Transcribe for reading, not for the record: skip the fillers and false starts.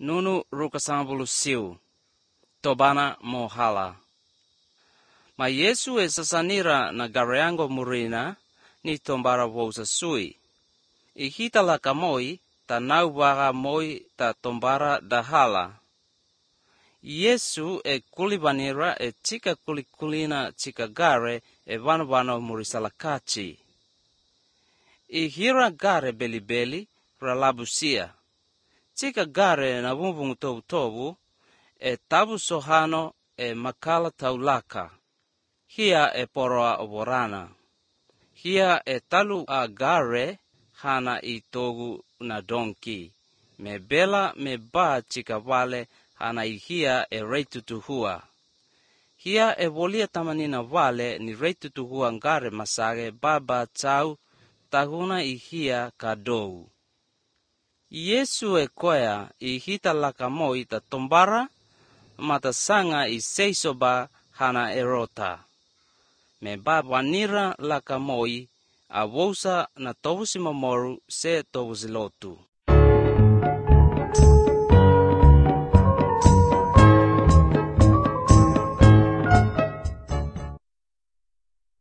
nunu rukasambulu siu, tobana mohala. Ma Yesu e sasanira na gareango murina ni tombara wousa sui. I hita laka moi ta naubaga moi ta tombara dahala. Yesu e kulibanira e tika kulikulina tika gare e vano murisalakachi. I hira gare beli ralabusia. Tika gare na vumbungu tobu e tabu sohano e makala taulaka. Hia e poroa oborana. Hia e talu a gare hana i togu na donki. Me bela me ba tika vale hana i hia e reitutuhua. Hia e volia tamanina vale ni reitutuhua ngare masage baba tau tahuna i hia kadou. Yesu e koea i hita laka moi ta tombara mata sanga i seisoba hana erota. Me baba nira laka moi a wousa na tovusi mamoru se tovusi lotu.